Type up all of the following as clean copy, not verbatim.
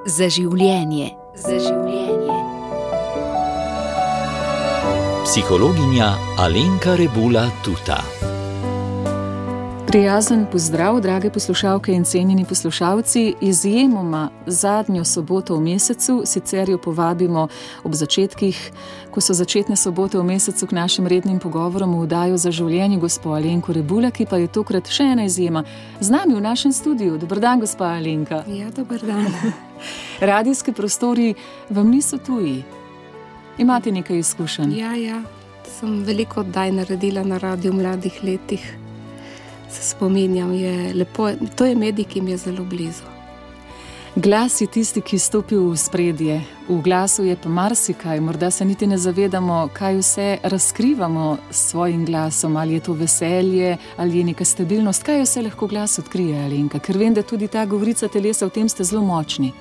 Za življenje. Za življenje. Psihologinja Alenka Rebula Tuta. Prijazen pozdrav, drage poslušalke in cenjeni poslušalci. Izjemoma zadnjo soboto v mesecu, sicer jo povabimo ob začetkih, ko so začetne sobote v mesecu k našim rednim pogovorom v oddajo Za življenje gospo Alenko Rebula, ki pa je tokrat še ena izjema. Z nami v našem studiu. Dober dan, gospa Alenka. Ja, dober dan. Radijski prostori vam niso tuji. Imate nekaj izkušenj? Ja. Sem veliko oddaj naredila na radiju v mladih letih. Se spominjam, je lepo, to je medij, ki mi je zelo blizu. Glas je tisti, ki stopi v spredje. V glasu je pa marsikaj, morda se niti ne zavedamo, kaj vse razkrivamo s svojim glasom, ali je to veselje, ali je neka stabilnost, kaj vse lahko glas odkrije, Alenka, ker vem, da tudi ta govorica telesa, v tem ste zelo močni.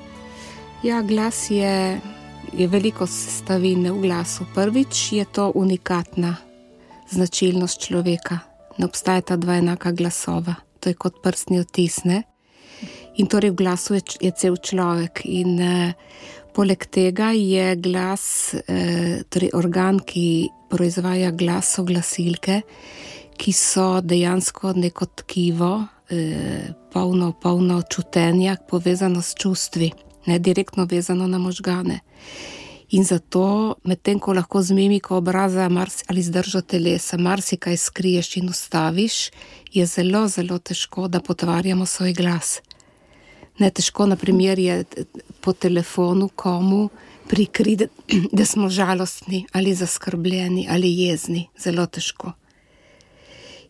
Ja, glas je veliko sestavine v glasu. Prvič je to unikatna značilnost človeka. Ne obstajata dva enaka glasova. To je kot prstni odtis, ne? In torej v glasu je cel človek. In poleg tega je glas, torej organ, ki proizvaja glas, so glasilke, ki so dejansko neko tkivo, polno čutenja, povezano s čustvi, ne direktno vezano na možgane. In zato, medtem ko lahko z mimiko obraza ali z držo telesa marsikaj skriješ in ustaviš, je zelo, zelo težko, da potvarjamo svoj glas. Ne, težko, na primer, je po telefonu komu prikriti, da smo žalostni ali zaskrbljeni ali jezni. Zelo težko.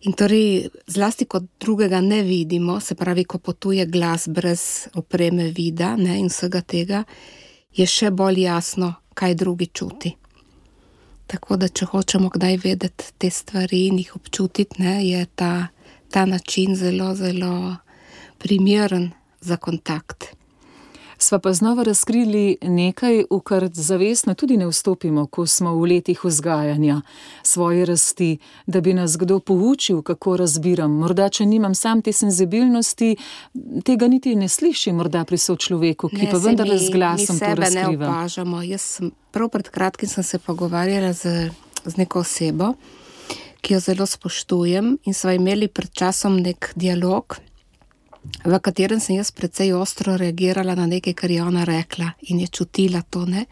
In torej, zlasti kot drugega ne vidimo, se pravi, ko potuje glas brez opreme vida, ne, in vsega tega, je še bolj jasno, kaj drugi čuti. Tako da, če hočemo kdaj vedeti te stvari in jih občutiti, ne, je ta način zelo, zelo primeren za kontakt. Sva pa znova razkrili nekaj, v kar zavestno tudi ne vstopimo, ko smo v letih vzgajanja svoje rasti, da bi nas kdo poučil, kako razbiram. Morda, če nimam sam te senzibilnosti, tega niti ne slišim morda pri sočloveku, ki pa vendar z glasom to razkriva. Mi sebe ne opažamo. Prav pred kratkim sem se pogovarjala z neko osebo, ki jo zelo spoštujem, in sva imeli pred časom nek dialog, v katerem sem jaz precej ostro reagirala na nekaj, kar je ona rekla, in je čutila to, ne.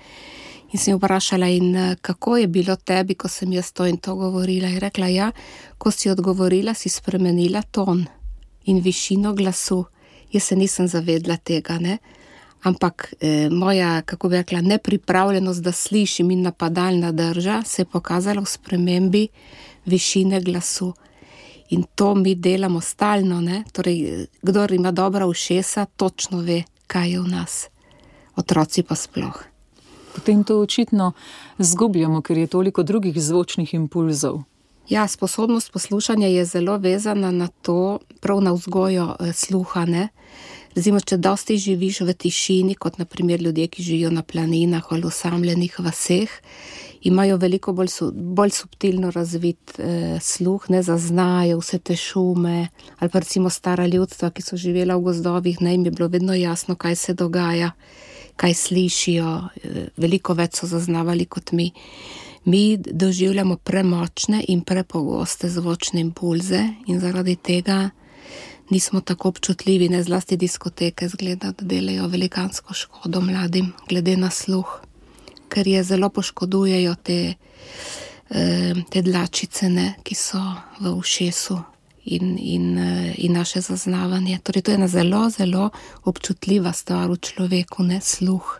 In sem jo vprašala, in kako je bilo tebi, ko sem jaz to in to govorila. Je rekla, ja, ko si odgovorila, si spremenila ton in višino glasu. Jaz se nisem zavedla tega, ne. Ampak moja, kako bi rekla, nepripravljenost, da slišim, in napadalna drža se je pokazala v spremembi višine glasu. In to mi delamo stalno, ne? Torej, kdor ima dobra ušesa, točno ve, kaj je v nas. Otroci pa sploh. Potem to očitno zgubljamo, ker je toliko drugih zvočnih impulzov. Ja, sposobnost poslušanja je zelo vezana na to, prav na vzgojo sluha, ne? Recimo, če dosti živiš v tišini, kot na primer ljudje, ki živijo na planinah ali osamljenih vaseh, imajo veliko bolj subtilno razvit sluh, ne, zaznajo vse te šume, ali pa recimo stara ljudstva, ki so živela v gozdovih, ne, jim je bilo vedno jasno, kaj se dogaja, kaj slišijo, veliko več so zaznavali kot mi. Mi doživljamo premočne in prepogoste zvočne impulze in zaradi tega nismo tako občutljivi, ne, zlasti diskoteke zgleda, da delajo velikansko škodo mladim, glede na sluh. Ker je zelo poškodujejo te dlačice, ne, ki so v ušesu in naše zaznavanje. Torej, to je ena zelo, zelo občutljiva stvar v človeku, ne, sluh.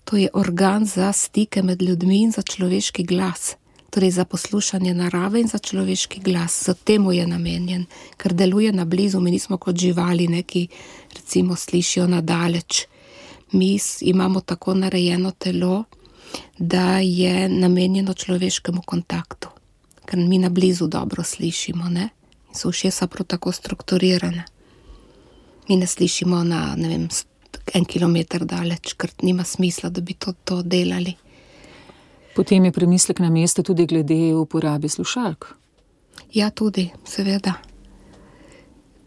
To je organ za stike med ljudmi in za človeški glas. Torej, za poslušanje narave in za človeški glas. Za temu je namenjen, ker deluje na blizu. Mi nismo kot živali, ne, ki recimo slišijo na daleč. Mi imamo tako narejeno telo, da je namenjeno človeškemu kontaktu, ker mi na blizu dobro slišimo, ne? In so ušesa prav tako strukturirane. Mi ne slišimo na, ne vem, 1 kilometer daleč, ker nima smisla, da bi to delali. Potem je premislek na mestu tudi glede uporabe slušalk. Ja, tudi, seveda.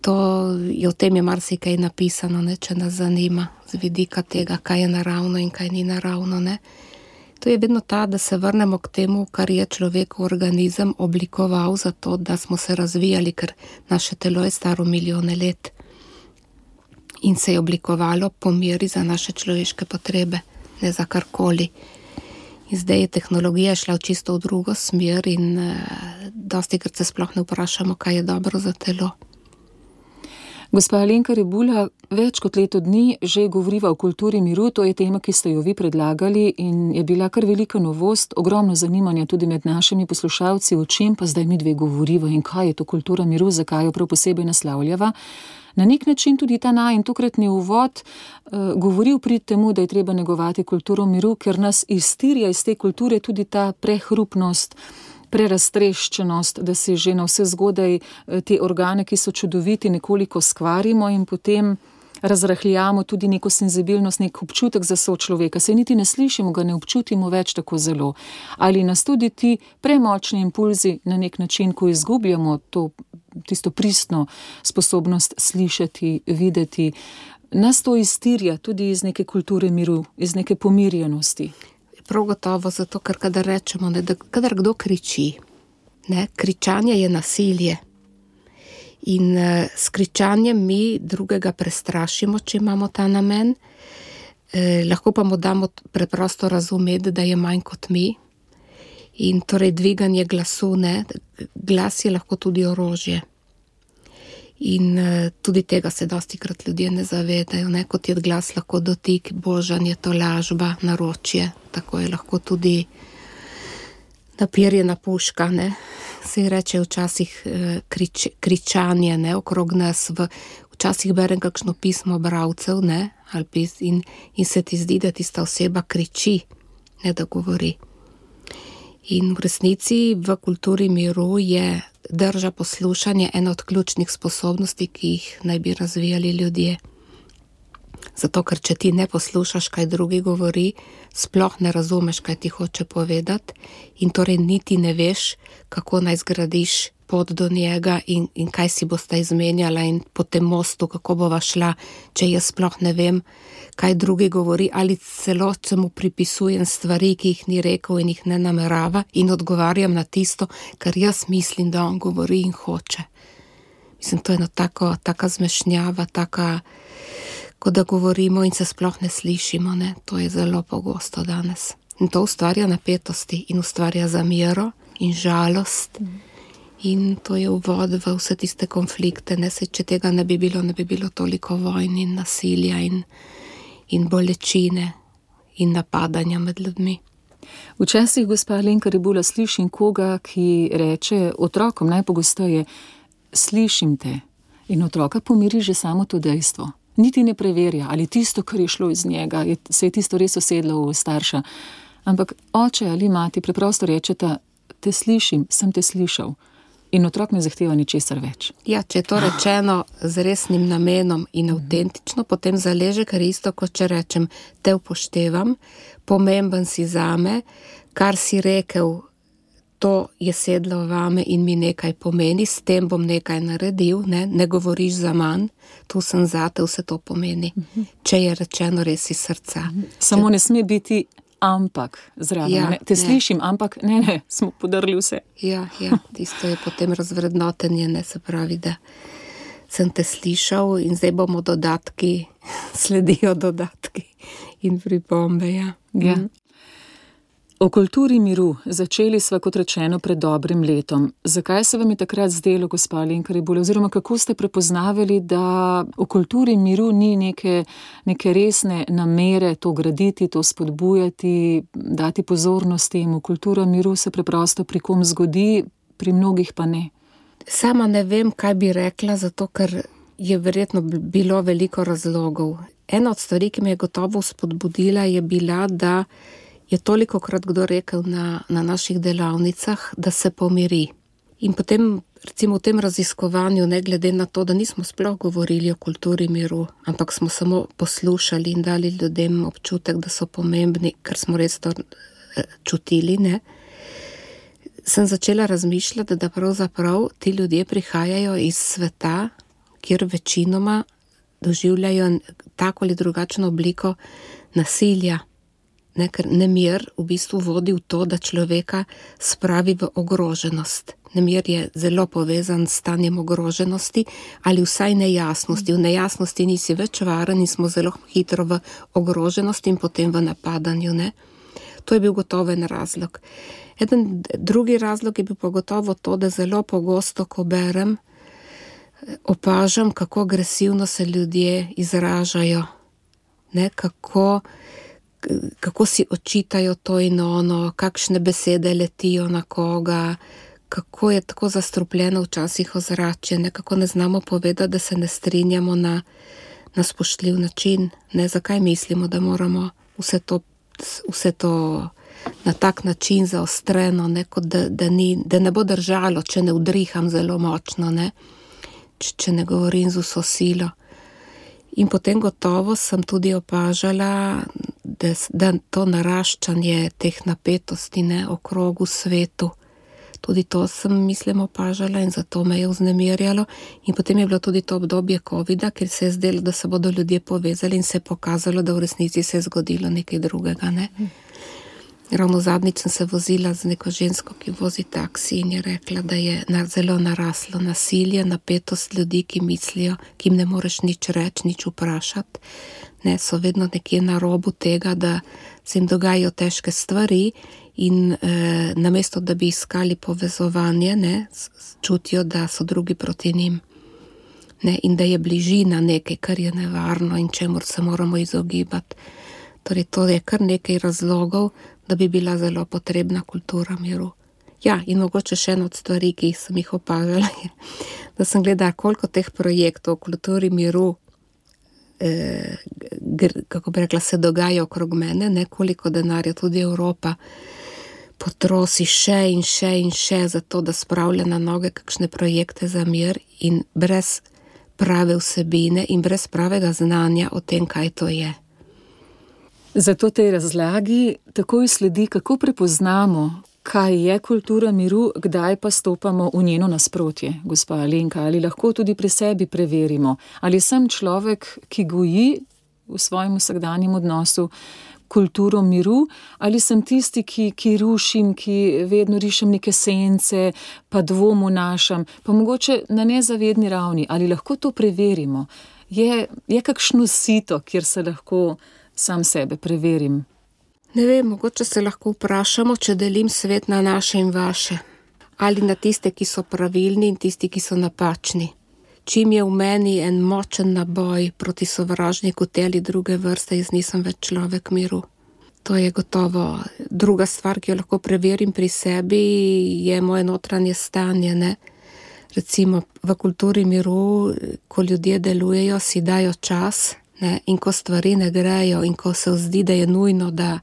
O tem je marsikaj napisano, ne, če nas zanima z vidika tega, kaj je naravno in kaj ni naravno, ne. To je vedno da se vrnemo k temu, kar je človekov organizem oblikoval za to, da smo se razvijali, ker naše telo je staro milijone let in se je oblikovalo po meri za naše človeške potrebe, ne za karkoli. In zdaj je tehnologija šla čisto v drugo smer in dostikrat se sploh ne vprašamo, kaj je dobro za telo. Gospa Alenka Rebula, več kot leto dni že govoriva o kulturi miru, to je tema, ki ste jo vi predlagali in je bila kar velika novost, ogromno zanimanja tudi med našimi poslušalci, o čem pa zdaj mi dve govoriva in kaj je to kultura miru, zakaj jo prav posebej naslavljava. Na nek način tudi ta najin tokratni uvod govori v prid temu, da je treba negovati kulturo miru, ker nas iztirja iz te kulture tudi ta prehrupnost, preraztreščenost, da si že na vse zgodaj te organe, ki so čudoviti, nekoliko skvarimo in potem razrahljamo tudi neko senzibilnost, nek občutek za sočloveka. Se niti ne slišimo, ga ne občutimo več tako zelo. Ali nas tudi ti premočni impulzi na nek način, ko izgubljamo tisto pristno sposobnost slišati, videti, nas to iztirja tudi iz neke kulture miru, iz neke pomirjenosti. Prav gotovo zato, ker kadar rečemo, ne, da kadar kdo kriči, ne, kričanje je nasilje. In s kričanjem mi drugega prestrašimo, če imamo ta namen. Lahko pa mu damo preprosto razumeti, da je manj kot mi. In torej dviganje glasu, ne, glas je lahko tudi orožje. In tudi tega se dostikrat ljudje ne zavedajo, ne, kot je glas lahko dotik, božanje, tolažba, naročje, tako je lahko tudi napirjena puška, ne. Se reče včasih kričanje, ne, okrog nas, včasih berem kakšno pismo bralcev, ne, in se ti zdi, da tista oseba kriči, ne da govori. In v resnici v kulturi miru je drža poslušanje ena od ključnih sposobnosti, ki jih naj bi razvijali ljudje. Zato, ker če ti ne poslušaš, kaj drugi govori, sploh ne razumeš, kaj ti hoče povedati in torej niti ne veš, kako naj zgradiš pot do njega in kaj si boste izmenjala in po tem mostu, kako bova šla, če jaz sploh ne vem, kaj drugi govori ali celo se mu pripisujem stvari, ki jih ni rekel in jih ne namerava in odgovarjam na tisto, kar jaz mislim, da on govori in hoče. Mislim, to je eno taka zmešnjava, ko da govorimo in se sploh ne slišimo, ne? To je zelo pogosto danes. In to ustvarja napetosti in ustvarja zamero in žalost. In to je uvod v vse tiste konflikte, ne? Saj, če tega ne bi bilo toliko vojn in nasilja in bolečine in napadanja med ljudmi. Včasih, gospa Alenka Rebula, slišim koga, ki reče otrokom najpogosteje, slišim te, in otroka pomiri že samo to dejstvo. Niti ne preverja, ali tisto, kar je šlo iz njega, se je tisto res usedlo v starša. Ampak oče ali mati preprosto rečeta, te slišim, sem te slišal. In otrok ne zahteva ničesar več. Ja, če je to rečeno z resnim namenom in avtentično, potem zaleže, ker isto, kot če rečem, te upoštevam, pomemben si zame, kar si rekel, to je sedlo vame in mi nekaj pomeni, s tem bom nekaj naredil, ne govoriš za manj, tu sem zate, vse to pomeni. Če je rečeno res iz srca. Samo ne sme biti ampak zraven. Ja, te slišim, ampak ne, smo podrli vse. Ja, tisto je potem razvrednotenje, ne, se pravi, da sem te slišal in zdaj bomo dodatki, sledijo dodatki in pripombe, ja. O kulturi miru začeli sva, kot rečeno, pred dobrim letom. Zakaj se vam je takrat zdelo, gospa Alenka Rebula, oziroma kako ste prepoznavali, da v kulturi miru ni neke resne namere to graditi, to spodbujati, dati pozornost temu? Kultura miru se preprosto pri kom zgodi, pri mnogih pa ne. Sama ne vem, kaj bi rekla, zato ker je verjetno bilo veliko razlogov. Ena od stvari, ki me je gotovo spodbudila, je bila, da je tolikokrat kdo rekel na naših delavnicah, da se pomiri. In potem, recimo v tem raziskovanju, ne glede na to, da nismo sploh govorili o kulturi miru, ampak smo samo poslušali in dali ljudem občutek, da so pomembni, ker smo res to čutili, ne, sem začela razmišljati, da pravzaprav ti ljudje prihajajo iz sveta, kjer večinoma doživljajo tako ali drugačno obliko nasilja. Ne, ker nemir v bistvu vodi v to, da človeka spravi v ogroženost. Nemir je zelo povezan s stanjem ogroženosti ali vsaj nejasnosti. V nejasnosti nisi več varen in smo zelo hitro v ogroženosti in potem v napadanju. Ne? To je bil gotovo en razlog. Drugi razlog je bil pa gotovo to, da zelo pogosto, ko berem, opažam, kako agresivno se ljudje izražajo. Ne? Kako si očitajo to in ono, kakšne besede letijo na koga, kako je tako zastrupljeno včasih ozračje, nekako ne znamo povedati, da se ne strinjamo na spoštljiv način. Ne, zakaj mislimo, da moramo vse to na tak način zaostreno, ne, kot da ne bo držalo, če ne udriham zelo močno, ne, če ne govorim z vso silo. In potem gotovo sem tudi opažala, da to naraščanje teh napetosti, ne, okrog v svetu, tudi to sem, mislim, opažala in zato me je vznemirjalo. In potem je bilo tudi to obdobje covida, ker se je zdelo, da se bodo ljudje povezali in se je pokazalo, da v resnici se je zgodilo nekaj drugega, ne. Ravno zadnjič sem se vozila z neko žensko, ki vozi taksi in je rekla, da je zelo naraslo nasilje, napetost ljudi, ki mislijo, ki jim ne moreš nič reči, nič vprašati. Ne, so vedno nekje na robu tega, da se jim dogajajo težke stvari in namesto, da bi iskali povezovanje, ne, čutijo, da so drugi proti njim. Ne, in da je bližina nekaj, kar je nevarno in čemur se moramo izogibati. Torej, to je kar nekaj razlogov, da bi bila zelo potrebna kultura miru. Ja, in mogoče še ena od stvari, ki sem jih opažala, je, da sem gledala, koliko teh projektov o kulturi miru, kako bi rekla, se dogaja okrog mene, ne, koliko denarja tudi Evropa potrosi še in še in še za to, da spravlja na noge kakšne projekte za mir in brez prave vsebine in brez pravega znanja o tem, kaj to je. Zato tej razlagi takoj sledi, kako prepoznamo, kaj je kultura miru, kdaj pa stopamo v njeno nasprotje. Gospa Alenka, ali lahko tudi pri sebi preverimo, ali sem človek, ki goji v svojem vsakdanjem odnosu kulturo miru, ali sem tisti, ki rušim, ki vedno rišem neke sence, pa dvom vnašam, pa mogoče na nezavedni ravni, ali lahko to preverimo. Je kakšno sito, kjer se lahko sam sebe preverim? Ne vem, mogoče se lahko vprašamo, če delim svet na naše in vaše. Ali na tiste, ki so pravilni in tisti, ki so napačni. Čim je v meni en močen naboj proti sovražniku te ali druge vrste, jaz nisem več človek miru. To je gotovo. Druga stvar, ki jo lahko preverim pri sebi, je moje notranje stanje, ne. Recimo v kulturi miru, ko ljudje delujejo, si dajo čas, ne, in ko stvari ne grejo in ko se zdi, da je nujno, da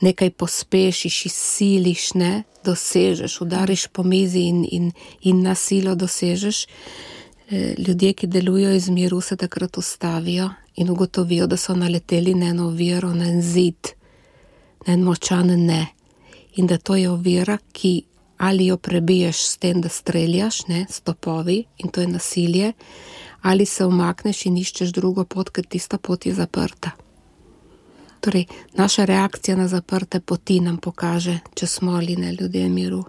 nekaj pospešiš, izsiliš, ne, dosežeš, udariš po mizi in na silo dosežeš, ljudje, ki delujejo iz miru, se takrat ustavijo in ugotovijo, da so naleteli na eno oviro, na en zid, na en močan ne. In da to je ovira, ki ali jo prebiješ s tem, da streljaš, ne, s topovi, in to je nasilje, ali se umakneš in iščeš drugo pot, ker tista pot je zaprta. Torej, naša reakcija na zaprte poti nam pokaže, če smo ali ne ljudje miru.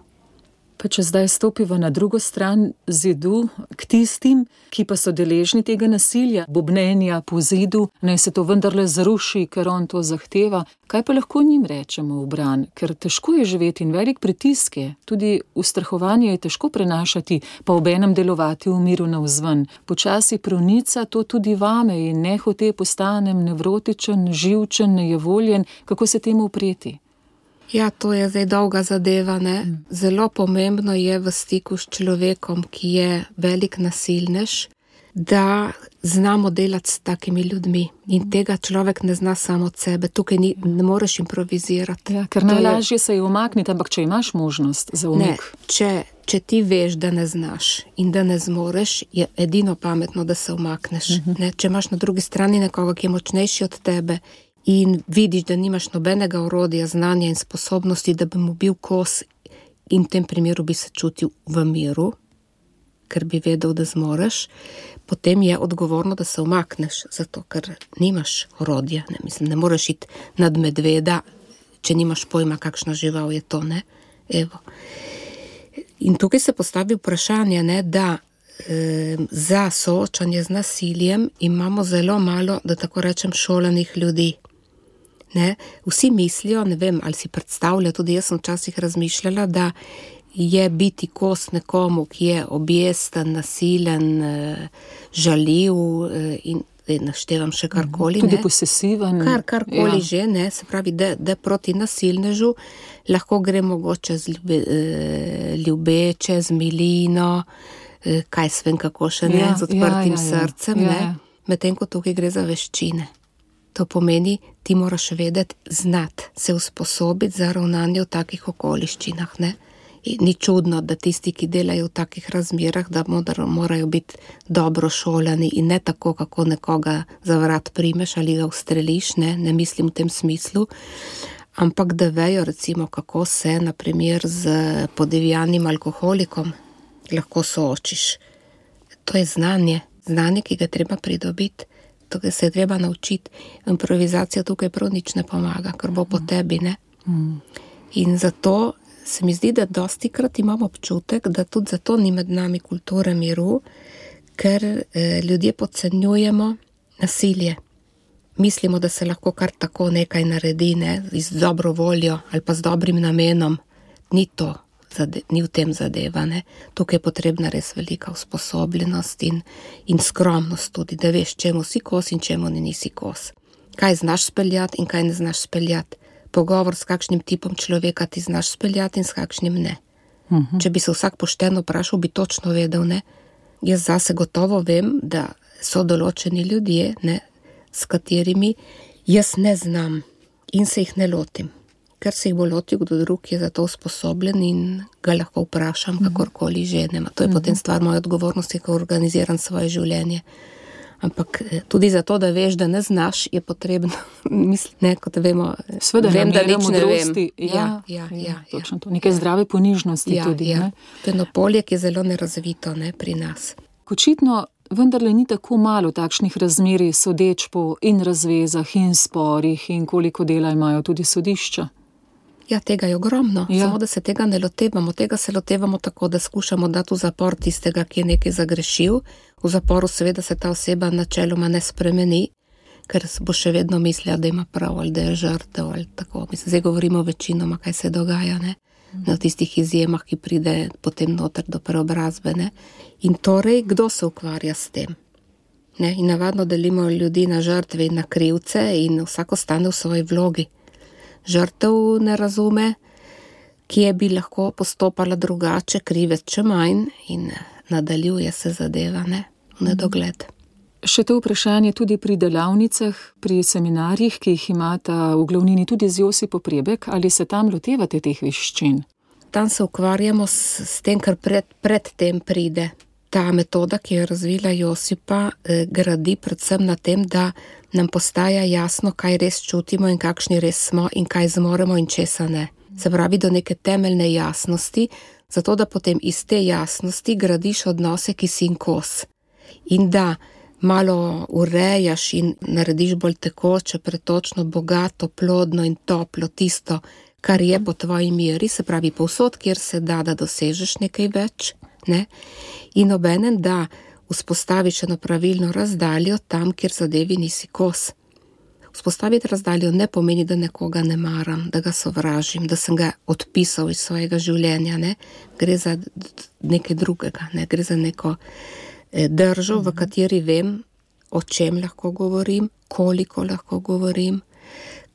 Pa če zdaj stopiva na drugo stran zidu, k tistim, ki pa so deležni tega nasilja, bobnenja po zidu, naj se to vendarle zruši, ker on to zahteva, kaj pa lahko njim rečemo v bran? Ker težko je živeti in velik pritisk je, tudi ustrahovanje je težko prenašati, pa obenem delovati v miru navzven. Počasi pronica to tudi vame in nehote postanem nevrotičen, živčen, nejevoljen, kako se temu upreti? Ja, to je zdaj dolga zadeva, ne. Zelo pomembno je v stiku s človekom, ki je velik nasilnež, da znamo delati s takimi ljudmi. In tega človek ne zna samo od sebe. Tukaj ne moreš improvizirati. Ja, ker najlažje se je umakniti, ampak če imaš možnost za umik. Ne, če ti veš, da ne znaš in da ne zmoreš, je edino pametno, da se umakneš. Ne, če imaš na drugi strani nekoga, ki je močnejši od tebe, in vidiš, da nimaš nobenega orodja, znanja in sposobnosti, da bi mu bil kos in v tem primeru bi se čutil v miru, ker bi vedel, da zmoreš, potem je odgovorno, da se umakneš, zato ker nimaš orodja, ne, mislim, ne moreš iti nad medveda, če nimaš pojma, kakšna žival je to, ne, evo. In tukaj se postavi vprašanje, ne, da za soočanje z nasiljem imamo zelo malo, da tako rečem, šolanih ljudi. Ne? Vsi mislijo, ne vem, ali si predstavlja, tudi jaz sem včasih razmišljala, da je biti kos nekomu, ki je objesten, nasilen, žaljiv in naštevam še karkoli. Tudi posesiven. Karkoli že, ne, se pravi, da proti nasilnežu lahko gre mogoče ljubeče, z milino, kaj svem kako še ne, z odprtim srcem, ne, medtem ko tukaj gre za veščine. To pomeni, ti moraš vedeti, znati, se usposobiti za ravnanje v takih okoliščinah, ne. In ni čudno, da tisti, ki delajo v takih razmerah, da morajo biti dobro šolani in ne tako, kako nekoga za vrat primeš ali ga ustreliš, ne mislim v tem smislu, ampak da vejo recimo, kako se, na primer, z podivjanim alkoholikom lahko soočiš. To je znanje, ki ga treba pridobiti, to se je treba naučiti. Improvizacija tukaj prav nič ne pomaga, ker bo po tebi, ne. In zato se mi zdi, da dostikrat imamo občutek, da tudi zato ni med nami kulture miru, ker ljudje podcenjujemo nasilje. Mislimo, da se lahko kar tako nekaj naredi, ne, z dobro voljo ali pa z dobrim namenom. Ni to, ni v tem zadeva, ne. Tukaj je potrebna res velika usposobljenost in skromnost tudi, da veš, čemu si kos in čemu nisi kos. Kaj znaš speljati in kaj ne znaš speljati. Pogovor s kakšnim tipom človeka ti znaš speljati in s kakšnim ne. Če bi se vsak pošteno vprašal, bi točno vedel, ne. Jaz zase gotovo vem, da so določeni ljudje, ne, s katerimi jaz ne znam in se jih ne lotim. Ker se jih bo lotil kdo drug, je za to usposobljen in ga lahko vprašam, kakorkoli že. To je potem stvar moje odgovornosti, ko organiziram svoje življenje. Ampak tudi zato, da veš, da ne znaš, je potrebno, ne, kot vemo, vem, da nič ne vem. Ja, točno to. Nekaj zdrave ponižnosti tudi. Ja. To je eno polje, ki je zelo nerazvito, ne, pri nas. Očitno vendarle ni tako malo takšnih razmerij sodeč po in razvezah in sporih in koliko dela imajo tudi sodišča. Ja, tega je ogromno, samo da se tega ne lotevamo. Tega se lotevamo tako, da skušamo dati v zapor tistega, ki je nekaj zagrešil. V zaporu seveda se ta oseba načeloma ne spremeni, ker bo še vedno mislila, da ima prav ali da je žrtev ali tako. Mislim, zdaj govorimo večinoma, kaj se dogaja, ne? Na tistih izjemah, ki pride potem noter do preobrazbe, ne? In torej, kdo se ukvarja s tem? Ne? In navadno delimo ljudi na žrtve in na krivce in vsako stane v svoji vlogi. Žrtev ne razume, kje bi lahko postopala drugače, krivec če manj in nadaljuje se zadeva, ne, v nedogled. Še to vprašanje tudi pri delavnicah, pri seminarjih, ki jih imata v glavnini tudi z Josipo Prebek, ali se tam lotevate teh veščin? Tam se ukvarjamo s tem, kar pred tem pride. Ta metoda, ki jo razvila Josipa, gradi predvsem na tem, da nam postaja jasno, kaj res čutimo in kakšni res smo in kaj zmoremo in česa ne. Se pravi, do neke temeljne jasnosti, zato da potem iz te jasnosti gradiš odnose, ki si jim kos. In da malo urejaš in narediš bolj tekoče, pretočno, bogato, plodno in toplo tisto, kar je po tvoji meri, se pravi povsod, kjer se da dosežeš nekaj več, ne? In obenem, da vzpostaviš eno pravilno razdaljo tam, kjer zadevi nisi kos. Vzpostaviti razdaljo ne pomeni, da nekoga ne maram, da ga sovražim, da sem ga odpisal iz svojega življenja, ne? Gre za nekaj drugega, ne? Gre za neko držo, v kateri vem, o čem lahko govorim, koliko lahko govorim,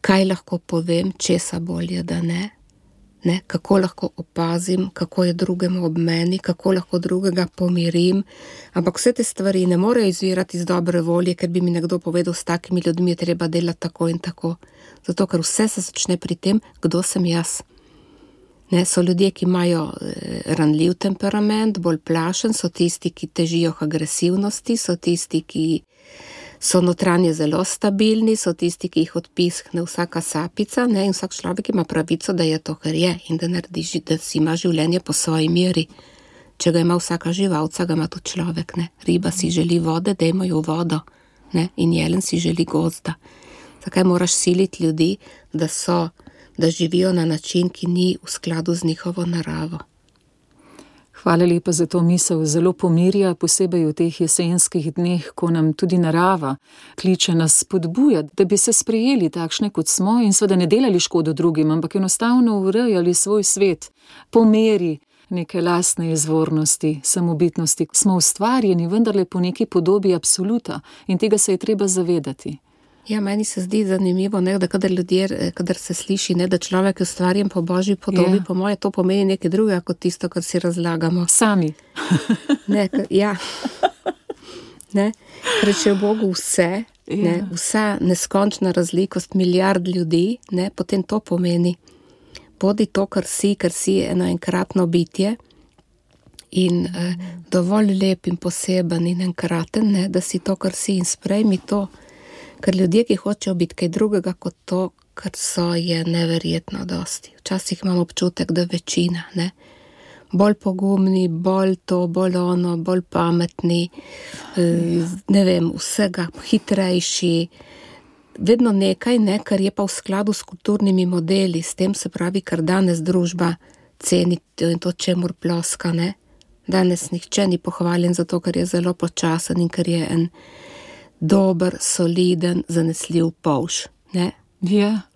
kaj lahko povem, česa bolje, da ne? Ne, kako lahko opazim, kako je drugemu ob meni, kako lahko drugega pomirim, ampak vse te stvari ne morejo izvirati iz dobre volje, ker bi mi nekdo povedal, s takimi ljudmi je treba delati tako in tako. Zato, ker vse se začne pri tem, kdo sem jaz. Ne, so ljudje, ki imajo ranljiv temperament, bolj plašen, so tisti, ki težijo k agresivnosti, so tisti, ki so notranje zelo stabilni, so tisti, ki jih odpiskne vsaka sapica, ne, in vsak človek ima pravico, da je to, kar je in da naredi, da si ima življenje po svoji meri. Če ga ima vsaka živalca, ga ima tudi človek, ne. Riba si želi vode, dajmo jo vodo, ne. In jelen si želi gozda. Zakaj moraš siliti ljudi, da živijo na način, ki ni v skladu z njihovo naravo? Hvala lepa za to misel, zelo pomirja, posebej v teh jesenskih dneh, ko nam tudi narava kliče nas spodbujati, da bi se sprejeli takšne, kot smo in seveda ne delali škodo drugim, ampak enostavno urejali svoj svet po meri neke lastne izvornosti, samobitnosti. Smo ustvarjeni vendarle po neki podobi absoluta in tega se je treba zavedati. Ja, meni se zdi zanimivo, ne, da kadar se sliši, ne, da človek je ustvarjen po Božji podobi, po moje to pomeni nekaj drugega kot tisto, kar si razlagamo. Sami. Ne, ja. Ne, ker če je v Bogu vse, ne, vsa neskončna razlikost milijard ljudi, ne, potem to pomeni. Bodi to, kar si eno enkratno bitje in dovolj lep in poseben in enkraten, ne, da si to, kar si in sprejmi to. Ker ljudje, ki hočejo biti kaj drugega kot to, kar so, je neverjetno dosti. Včasih imam občutek, da večina, ne. Bolj pogumni, bolj to, bolj ono, bolj pametni, ne vem, vsega, hitrejši. Vedno nekaj, ne, kar je pa v skladu s kulturnimi modeli, s tem se pravi, kar danes družba ceni in to, čemur ploska, ne. Danes nihče ni pohvaljen zato, ker je zelo počasen in ker je en dober, soliden, zanesljiv polž, ne? Ja.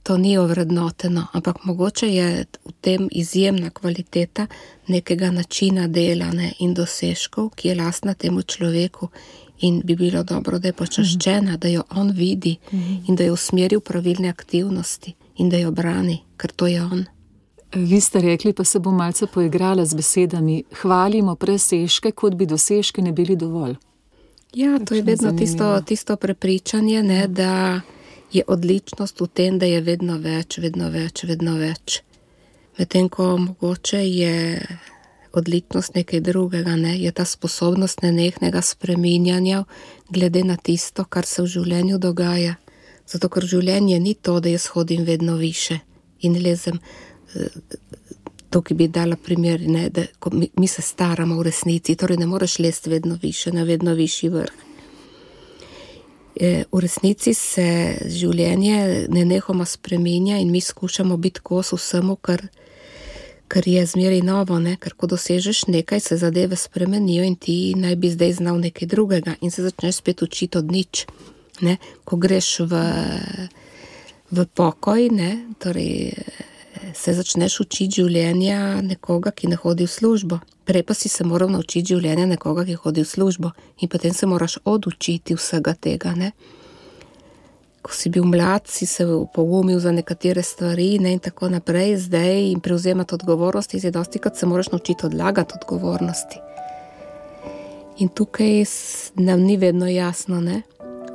To ni ovrednoteno, ampak mogoče je v tem izjemna kvaliteta nekega načina dela, ne, in dosežkov, ki je lastna temu človeku in bi bilo dobro, da je počaščena, da jo on vidi in da jo usmeri v pravilne aktivnosti in da jo brani, ker to je on. Vi ste rekli, pa se bom malce poigrala z besedami, hvalimo presežke, kot bi dosežki ne bili dovolj. Ja, to je vedno tisto prepričanje, ne, da je odličnost v tem, da je vedno več, vedno več, vedno več. Medtem ko mogoče je odličnost nekaj drugega, ne, je ta sposobnost nenehnega spreminjanja glede na tisto, kar se v življenju dogaja. Zato, ker življenje ni to, da jaz hodim vedno više in lezem. Tukaj bi dala primer, ne, da ko mi se staramo v resnici, torej ne moreš lesti vedno više, na vedno višji vrh. V resnici se življenje nenehoma spreminja in mi skušamo biti kos vsemu, kar je zmeraj novo, ne, ker ko dosežeš nekaj, se zadeve spremenijo in ti naj bi zdaj znal nekaj drugega in se začneš spet učiti od nič, ne. Ko greš v pokoj, ne, torej se začneš učiti življenja nekoga, ki ne hodi v službo. Prej pa si se moral naučiti življenja nekoga, ki hodi v službo in potem se moraš odučiti vsega tega, ne. Ko si bil mlad, si se pogumil za nekatere stvari, ne, in tako naprej, zdaj in prevzemati odgovornosti, zdaj dostikrat se moraš naučiti odlagati odgovornosti. In tukaj nam ni vedno jasno, ne,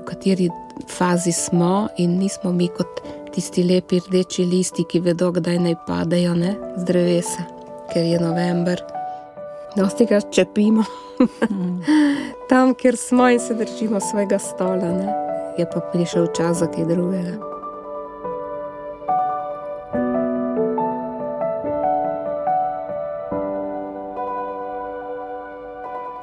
v kateri fazi smo in nismo mi kot tisti lepi rdeči listi, ki vedo, kdaj naj padejo, ne, z drevesa, ker je november. Dostikrat čepimo tam, kjer smo in se držimo svojega stola, ne, je pa prišel čas za kaj drugega.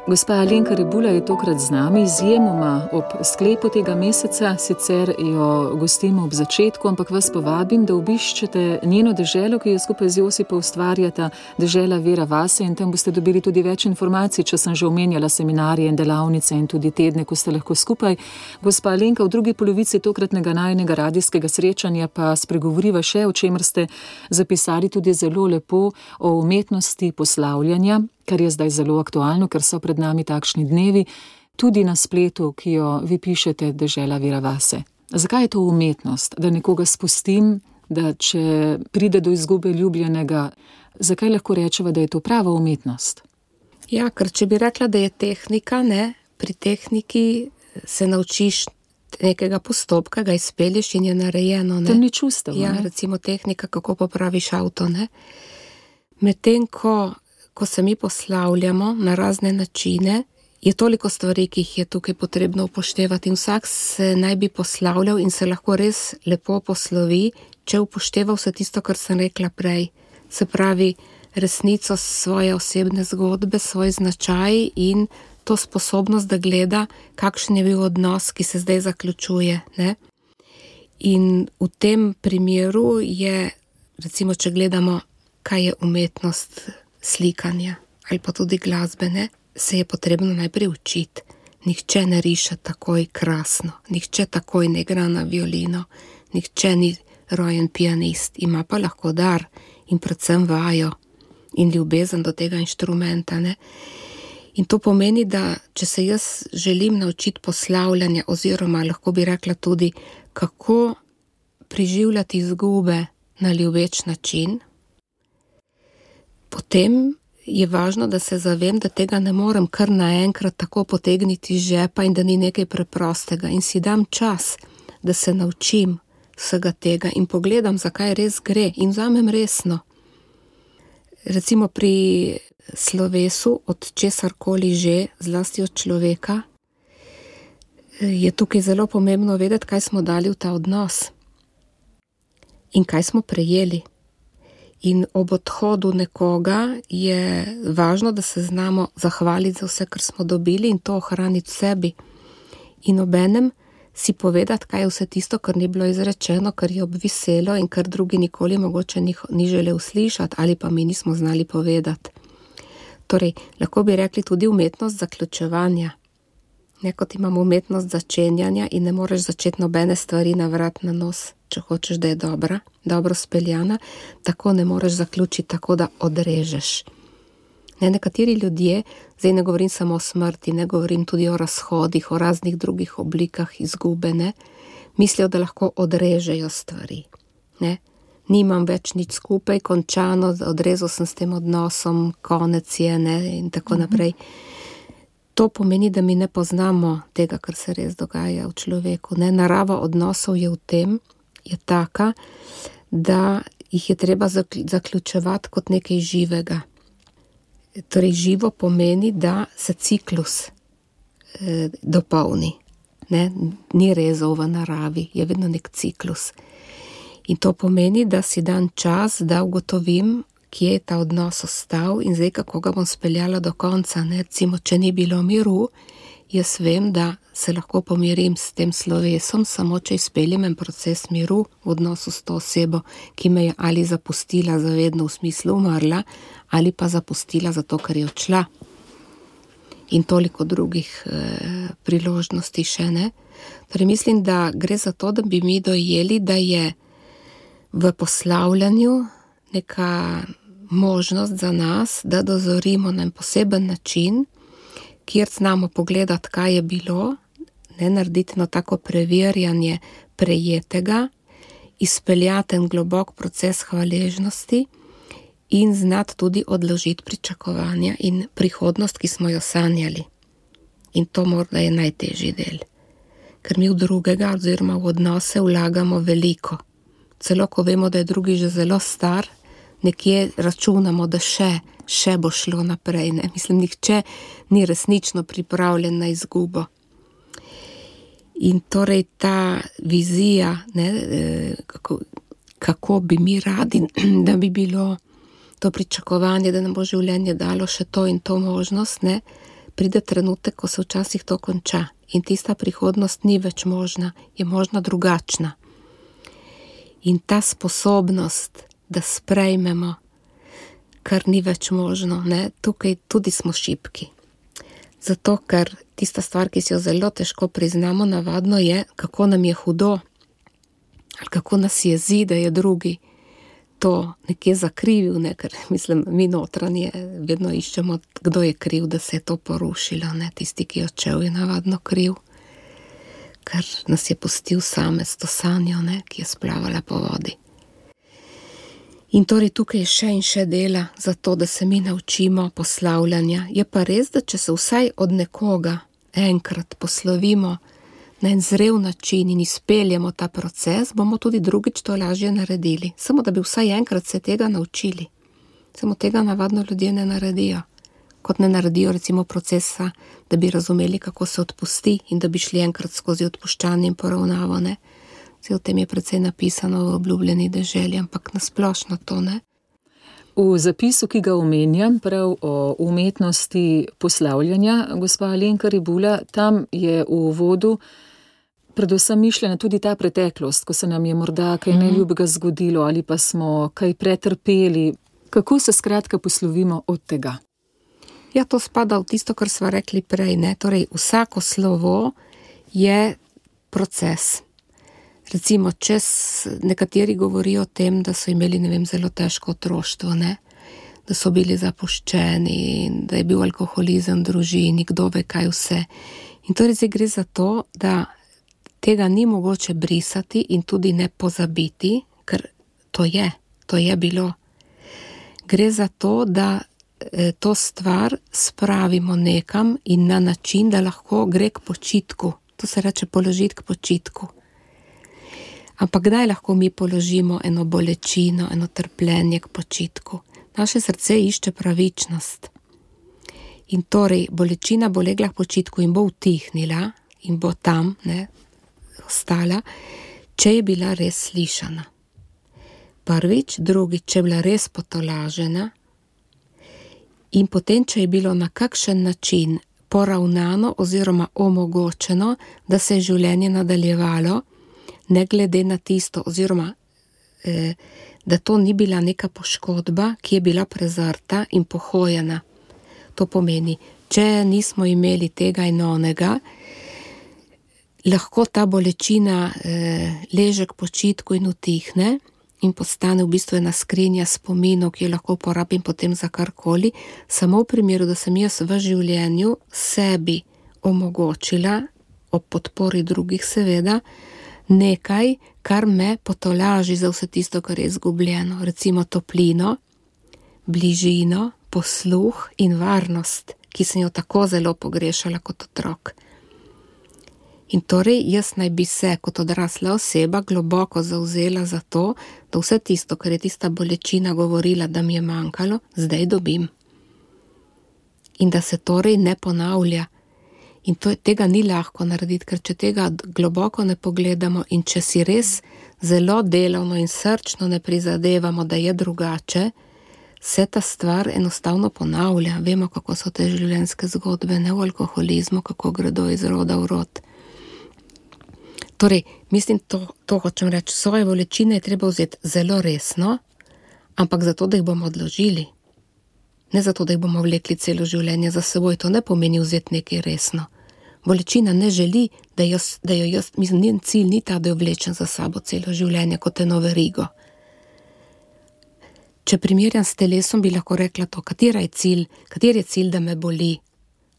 Gospa Alenka Rebula je tokrat z nami, izjemoma ob sklepu tega meseca, sicer jo gostimo ob začetku, ampak vas povabim, da obiščete njeno deželo, ki jo skupaj z Josipa ustvarjata, dežela Vera vase, in tam boste dobili tudi več informacij, če sem že omenjala seminarije in delavnice in tudi tedne, ko ste lahko skupaj. Gospa Alenka, v drugi polovici tokratnega najinega radijskega srečanja pa spregovoriva še, o čemer ste zapisali tudi zelo lepo, o umetnosti poslavljanja, kar je zdaj zelo aktualno, ker so pred nami takšni dnevi, tudi na spletu, ki jo vi pišete, dežela Vera vase. Zakaj je to umetnost? Da nekoga spustim, da če pride do izgube ljubljenega, zakaj lahko rečeva, da je to prava umetnost? Ja, ker če bi rekla, da je tehnika, ne, pri tehniki se naučiš nekega postopka, ga izpelješ in je narejeno, ne. Tam ni čustev, ja, ne? recimo tehnika, kako popraviš avto, ne. Medtem ko se mi poslavljamo na razne načine, je toliko stvari, ki jih je tukaj potrebno upoštevati in vsak se naj bi poslavljal in se lahko res lepo poslovi, če upošteva vse tisto, kar sem rekla prej. Se pravi, resnico svoje osebne zgodbe, svoj značaj in to sposobnost, da gleda, kakšen je bil odnos, ki se zdaj zaključuje, ne? In v tem primeru je, recimo, če gledamo, kaj je umetnost slikanja ali pa tudi glasbene, se je potrebno najprej učiti. Nihče ne riše takoj krasno, nihče takoj ne igra na violino, nihče ni rojen pianist, ima pa lahko dar in predvsem vajo in ljubezen do tega inštrumenta, ne? In to pomeni, da če se jaz želim naučiti poslavljanja, oziroma lahko bi rekla tudi, kako preživljati izgube na ljubeč način, potem je važno, da se zavem, da tega ne morem kar naenkrat tako potegniti iz žepa in da ni nekaj preprostega. In si dam čas, da se naučim vsega tega in pogledam, zakaj res gre in vzamem resno. Recimo pri slovesu, od česarkoli že, zlasti od človeka, je tukaj zelo pomembno vedeti, kaj smo dali v ta odnos in kaj smo prejeli. In ob odhodu nekoga je važno, da se znamo zahvaliti za vse, kar smo dobili in to ohraniti v sebi. In obenem si povedati, kaj je vse tisto, kar ni bilo izrečeno, kar je obviselo in kar drugi nikoli mogoče ni želel slišati ali pa mi nismo znali povedati. Torej, lahko bi rekli tudi umetnost zaključevanja. Nekot imamo umetnost začenjanja in ne moreš začeti nobene stvari na vrat na nos, če hočeš, da je dobro speljana, tako ne moreš zaključiti, tako da odrežeš. Nekateri ljudje, zdaj ne govorim samo o smrti, ne govorim tudi o razhodih, o raznih drugih oblikah izgube, ne, mislijo, da lahko odrežejo stvari. Ne. Nimam več nič skupaj, končano, odrezal sem s tem odnosom, konec je, ne, in tako naprej. To pomeni, da mi ne poznamo tega, kar se res dogaja v človeku. Ne. Narava odnosov je v tem, je taka, da jih je treba zaključevati kot nekaj živega. Torej, živo pomeni, da se ciklus dopolni. Ne? Ni rezov v naravi, je vedno nek ciklus. In to pomeni, da si dan čas, da ugotovim, kje je ta odnos ostal in zdaj, kako ga bom speljala do konca. Ne? Recimo, če ni bilo miru, jaz vem, da se lahko pomirim s tem slovesom, samo če izpeljem en proces miru v odnosu s to osebo, ki me je ali zapustila zavedno v smislu umrla, ali pa zapustila zato, ker je odšla. In toliko drugih priložnosti še, ne. Torej mislim, da gre za to, da bi mi dojeli, da je v poslavljanju neka možnost za nas, da dozorimo na en poseben način, kjer znamo pogledati, kaj je bilo, ne narediti eno tako preverjanje prejetega, izpeljati en globok proces hvaležnosti in znati tudi odložiti pričakovanja in prihodnost, ki smo jo sanjali. In to morda je najtežji del. Ker mi v drugega oziroma v odnose vlagamo veliko. Celo ko vemo, da je drugi že zelo star, nekje računamo, da še bo šlo naprej. Ne? Mislim, nihče ni resnično pripravljen na izgubo. In torej ta vizija, ne, kako bi mi radi, da bi bilo to pričakovanje, da nam bo življenje dalo še to in to možnost, ne, pride trenutek, ko se včasih to konča. In tista prihodnost ni več možna, je možna drugačna. In ta sposobnost, da sprejmemo, kar ni več možno, ne, tukaj tudi smo šibki. Zato, ker tista stvar, ki si jo zelo težko priznamo, navadno je, kako nam je hudo, ali kako nas jezi, da je drugi to nekje zakrivil, ne, ker mislim, mi notranje vedno iščemo, kdo je kriv, da se je to porušilo, ne, tisti, ki je odšel, je navadno kriv, ker nas je pustil same s to sanjo, ne, ki je splavala po vodi. In torej tukaj je še in še dela za to, da se mi naučimo poslavljanja. Je pa res, da če se vsaj od nekoga enkrat poslovimo na en zrel način in izpeljemo ta proces, bomo tudi drugič to lažje naredili. Samo da bi vsaj enkrat se tega naučili. Samo tega navadno ljudje ne naredijo. Kot ne naredijo recimo procesa, da bi razumeli, kako se odpusti in da bi šli enkrat skozi odpuščanje in poravnavo, ne. O tem je precej napisano v Obljubljeni deželi, ampak nasplošno to, ne. V zapisu, ki ga omenjam, prav o umetnosti poslavljanja, gospa Alenka Rebula, tam je v uvodu predvsem mišljena tudi ta preteklost, ko se nam je morda kaj neljubega zgodilo ali pa smo kaj pretrpeli. Kako se skratka poslovimo od tega? Ja, to spada v tisto, kar sva rekli prej, ne? Torej, vsako slovo je proces. Recimo, če nekateri govorijo o tem, da so imeli, zelo težko otroštvo, ne? Da so bili zapuščeni, da je bil alkoholizem v družini, kdo ve kaj vse. In torej zdaj gre za to, da tega ni mogoče brisati in tudi ne pozabiti, ker to je bilo. Gre za to, da to stvar spravimo nekam in na način, da lahko gre k počitku. To se reče položiti k počitku. Ampak kdaj lahko mi položimo eno bolečino, eno trpljenje k počitku? Naše srce išče pravičnost. In torej bolečina bo legla k počitku in bo utihnila in bo tam, ne, ostala, če je bila res slišana. Prvič, drugič, če je bila res potolažena in potem, če je bilo na kakšen način poravnano oziroma omogočeno, da se je življenje nadaljevalo, ne glede na tisto, oziroma da to ni bila neka poškodba, ki je bila prezrta in pohojena. To pomeni, če nismo imeli tega in onega, lahko ta bolečina leže k počitku in utihne in postane v bistvu ena skrinja spominov, ki jo lahko uporabim potem za karkoli, samo v primeru, da sem jaz v življenju sebi omogočila, ob podpori drugih seveda, nekaj, kar me potolaži za vse tisto, kar je izgubljeno. Recimo toplino, bližino, posluh in varnost, ki sem jo tako zelo pogrešala kot otrok. In torej jaz naj bi se kot odrasla oseba globoko zavzela za to, da vse tisto, kar je tista bolečina govorila, da mi je manjkalo, zdaj dobim. In da se torej ne ponavlja. In tega ni lahko narediti, ker če tega globoko ne pogledamo in če si res zelo delovno in srčno ne prizadevamo, da je drugače, se ta stvar enostavno ponavlja. Vemo, kako so te življenjske zgodbe, ne v alkoholizmu, kako gredo iz roda v rod. Torej, mislim, to hočem reči, svoje bolečine je treba vzeti zelo resno, ampak zato, da jih bomo odložili. Ne zato, da jih bomo vlekli celo življenje za seboj, to ne pomeni vzeti nekaj resno. Bolečina ne želi, da jo jaz, mislim, njen cilj ni ta, da jo vlečem za sabo celo življenje kot eno verigo. Če primerjam s telesom, bi lahko rekla to, kateri je cilj, da me boli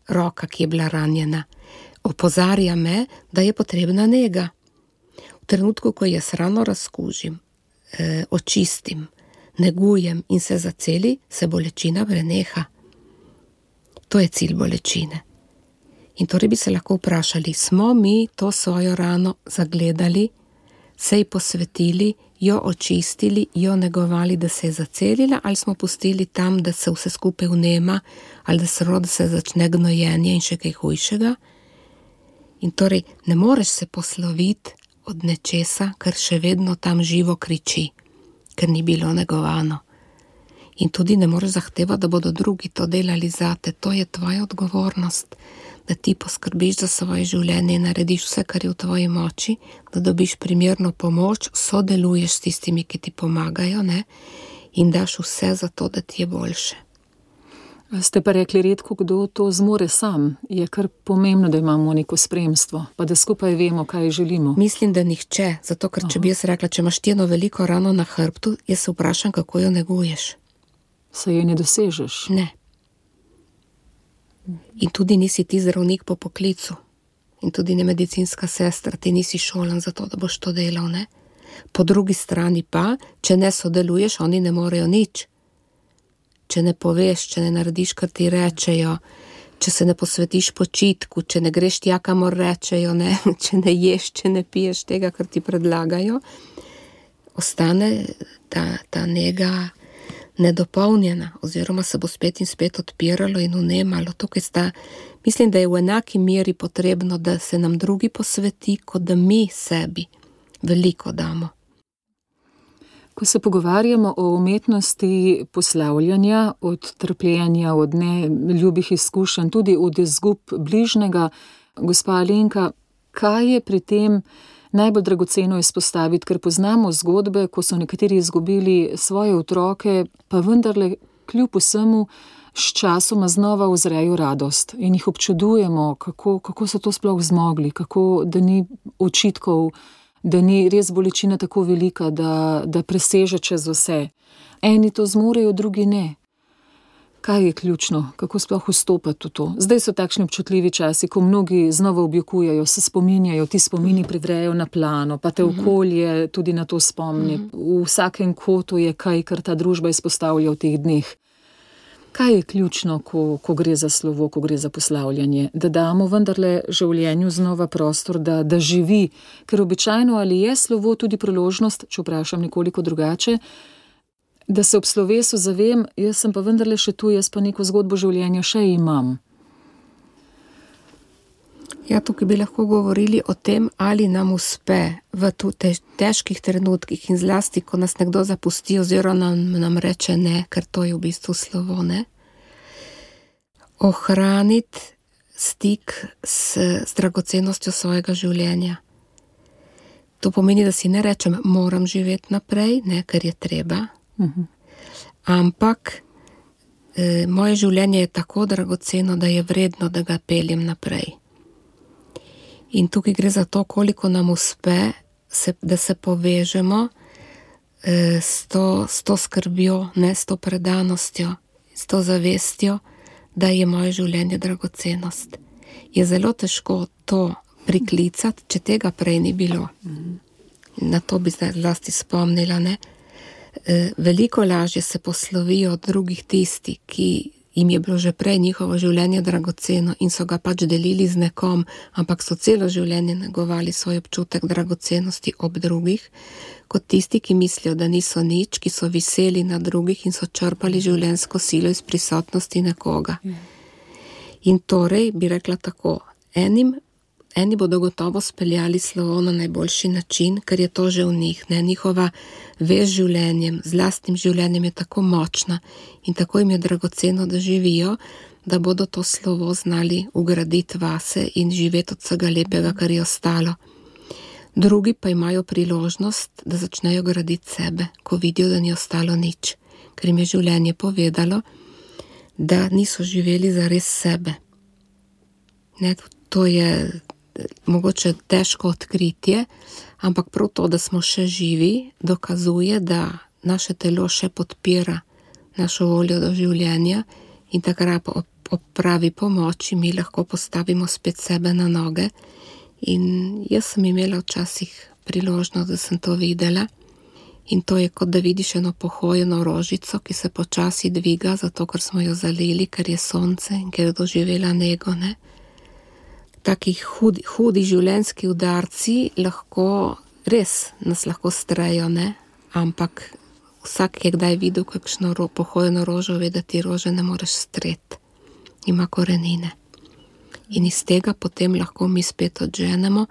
roka, ki je bila ranjena. Opozarja me, da je potrebna nega. V trenutku, ko jaz rano razkužim, očistim, negujem in se zaceli, se bolečina preneha. To je cilj bolečine. In torej bi se lahko vprašali, smo mi to svojo rano zagledali, se ji posvetili, jo očistili, jo negovali, da se je zacelila, ali smo pustili tam, da se vse skupaj vnema, ali da se začne gnojenje in še kaj hujšega. In torej ne moreš se posloviti od nečesa, kar še vedno tam živo kriči, ker ni bilo negovano. In tudi ne moreš zahtevati, da bodo drugi to delali zate. To je tvoja odgovornost, da ti poskrbiš za svoje življenje in narediš vse, kar je v tvoji moči, da dobiš primerno pomoč, sodeluješ s tistimi, ki ti pomagajo, ne? In daš vse za to, da ti je boljše. Ste pa rekli, redko kdo to zmore sam. Je kar pomembno, da imamo neko spremstvo, pa da skupaj vemo, kaj želimo. Mislim, da nihče, zato ker če bi jaz rekla, če imaš ti eno veliko rano na hrbtu, jaz se vprašam, kako jo neguješ. Se jo ne dosežeš? Ne. In tudi nisi ti zdravnik po poklicu. In tudi ne medicinska sestra, ti nisi šolan za to, da boš to delal, ne? Po drugi strani pa, če ne sodeluješ, oni ne morejo nič. Če ne poveš, če ne narediš, kar ti rečejo, če se ne posvetiš počitku, če ne greš tja, kamor rečejo, ne? Če ne ješ, če ne piješ tega, kar ti predlagajo, ostane ta nega nedopolnjena, oziroma se bo spet in spet odpiralo in vnemalo. Mislim, da je v enaki meri potrebno, da se nam drugi posveti, kot da mi sebi veliko damo. Ko se pogovarjamo o umetnosti poslavljanja, od trpljenja, od neljubih izkušenj, tudi od izgub bližnjega, gospa Alenka, kaj je pri tem najbolj dragoceno izpostaviti, ker poznamo zgodbe, ko so nekateri izgubili svoje otroke, pa vendarle kljub vsemu s časoma znova uzrejo radost in jih občudujemo, kako so to sploh zmogli, kako, da ni očitkov, da ni res bolečina tako velika, da preseže čez vse. Eni to zmorejo, drugi ne. Kaj je ključno? Kako sploh vstopati v to? Zdaj so takšni občutljivi časi, ko mnogi znova objokujejo, se spominjajo, ti spomini privrejo na plano, pa te okolje tudi na to spomni. V vsakem kotu je kaj, kar ta družba izpostavlja v teh dneh. Kaj je ključno, ko gre za slovo, ko gre za poslavljanje? Da damo vendarle življenju znova prostor, da živi, ker običajno ali je slovo tudi priložnost, če vprašam nekoliko drugače, da se ob slovesu zavem, jaz sem pa vendarle še tu, jaz pa neko zgodbo življenja še imam. Ja, tukaj bi lahko govorili o tem, ali nam uspe v težkih trenutkih in zlasti, ko nas nekdo zapusti oziroma nam reče ne, ker to je v bistvu slovo, ne? Ohraniti stik s dragocenostjo svojega življenja. To pomeni, da si ne rečem, moram živeti naprej, ne, ker je treba, ampak moje življenje je tako dragoceno, da je vredno, da ga peljem naprej. In tukaj gre za to, koliko nam uspe, da se povežemo s to skrbjo, ne s to predanostjo, s to zavestjo, da je moje življenje dragocenost. Je zelo težko to priklicati, če tega prej ni bilo. Na to bi zdaj zlasti spomnila, ne? Veliko lažje se poslovijo od drugih tisti, ki jim je bilo že prej njihovo življenje dragoceno in so ga pač delili z nekom, ampak so celo življenje negovali svoj občutek dragocenosti ob drugih, kot tisti, ki mislijo, da niso nič, ki so viseli na drugih in so črpali življenjsko silo iz prisotnosti nekoga. In torej bi rekla tako, eni bodo gotovo speljali slovo na najboljši način, ker je to že v njih, ne? Njihova vez življenjem, z lastnim življenjem je tako močna in tako jim je dragoceno, da živijo, da bodo to slovo znali ugraditi vase in živeti od vsega lepega, kar je ostalo. Drugi pa imajo priložnost, da začnejo graditi sebe, ko vidijo, da ni ostalo nič, ker jim je življenje povedalo, da niso živeli zares sebe. Ne, to je mogoče težko odkritje, ampak prav to, da smo še živi, dokazuje, da naše telo še podpira našo voljo do življenja in takrat ob pravi pomoči mi lahko postavimo spet sebe na noge. In jaz sem imela včasih priložnost, da sem to videla in to je kot da vidiš eno pohojeno rožico, ki se počasi dviga, zato ker smo jo zalili, ker je sonce in ker je doživela nego, ne? Taki hudi življenjski udarci nas lahko strejo, ne? Ampak vsak je kdaj videl kakšno pohojeno rožo, ve, da ti rože ne moreš streti. Ima korenine. In iz tega potem lahko mi spet odženemo,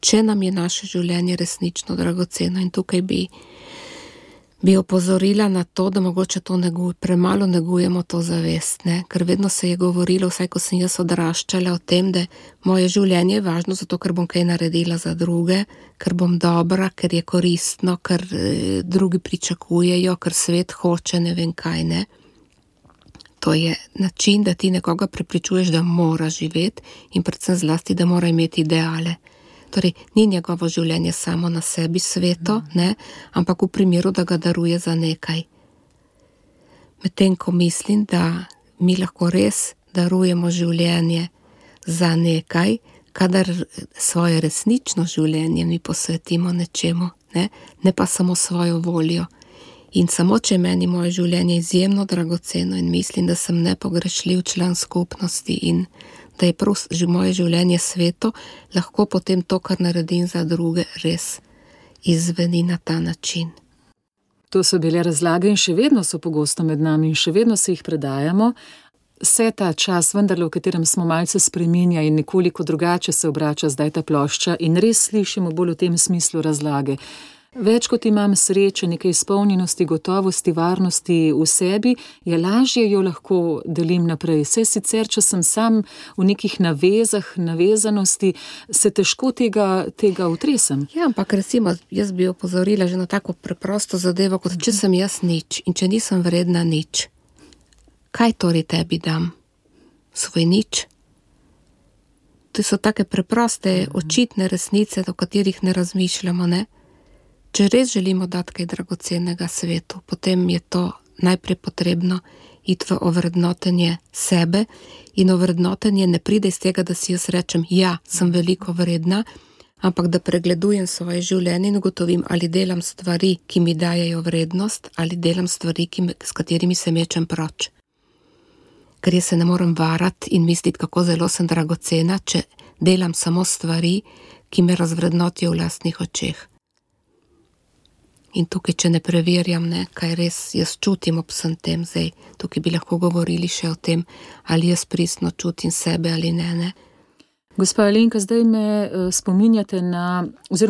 če nam je naše življenje resnično dragoceno. In tukaj bi opozorila na to, da mogoče to premalo negujemo to zavest, ne? Ker vedno se je govorilo, vsaj ko sem jaz odraščala, o tem, da moje življenje je važno zato, ker bom kaj naredila za druge, ker bom dobra, ker je koristno, ker drugi pričakujejo, ker svet hoče, ne vem kaj, ne. To je način, da ti nekoga prepričuješ, da mora živeti in predvsem zlasti, da mora imeti ideale. Torej, ni njegovo življenje samo na sebi sveto, ne, ampak v primeru, da ga daruje za nekaj. Medtem ko mislim, da mi lahko res darujemo življenje za nekaj, kadar svoje resnično življenje mi posvetimo nečemu, ne pa samo svojo voljo. In samo, če meni moje življenje izjemno dragoceno in mislim, da sem nepogrešljiv član skupnosti in da je prav moje življenje sveto, lahko potem to, kar naredim za druge, res izveni na ta način. To so bile razlage in še vedno so pogosto med nami in še vedno se jih predajamo. Se ta čas vendarle, v katerem smo malce spreminja in nekoliko drugače se obrača zdaj ta plošča in res slišimo bolj v tem smislu razlage. Več kot imam sreče, nekaj izpolnjenosti, gotovosti, varnosti v sebi, je lažje jo lahko delim naprej. Saj sicer, če sem sam v nekih navezanosti, se težko tega utresem. Ja, ampak recimo, jaz bi opozorila že na tako preprosto zadevo, kot če sem jaz nič in če nisem vredna nič. Kaj torej tebi dam? Svoj nič? To so take preproste, očitne resnice, o katerih ne razmišljamo, ne? Če res želimo dati kaj dragocenega svetu, potem je to najprej potrebno iti v ovrednotenje sebe in ovrednotenje ne pride iz tega, da si jaz rečem, ja, sem veliko vredna, ampak da pregledujem svoje življenje in ugotovim, ali delam stvari, ki mi dajejo vrednost, ali delam stvari, s katerimi se mečem proč. Ker jaz se ne morem varati in misliti, kako zelo sem dragocena, če delam samo stvari, ki me razvrednotijo v lastnih očeh. In tukaj, če ne preverjam, kaj res jaz čutim ob vsem tem, zdaj tukaj bi lahko govorili še o tem, ali jaz pristno čutim sebe ali ne. Gospa Alenka, zdaj me spominjate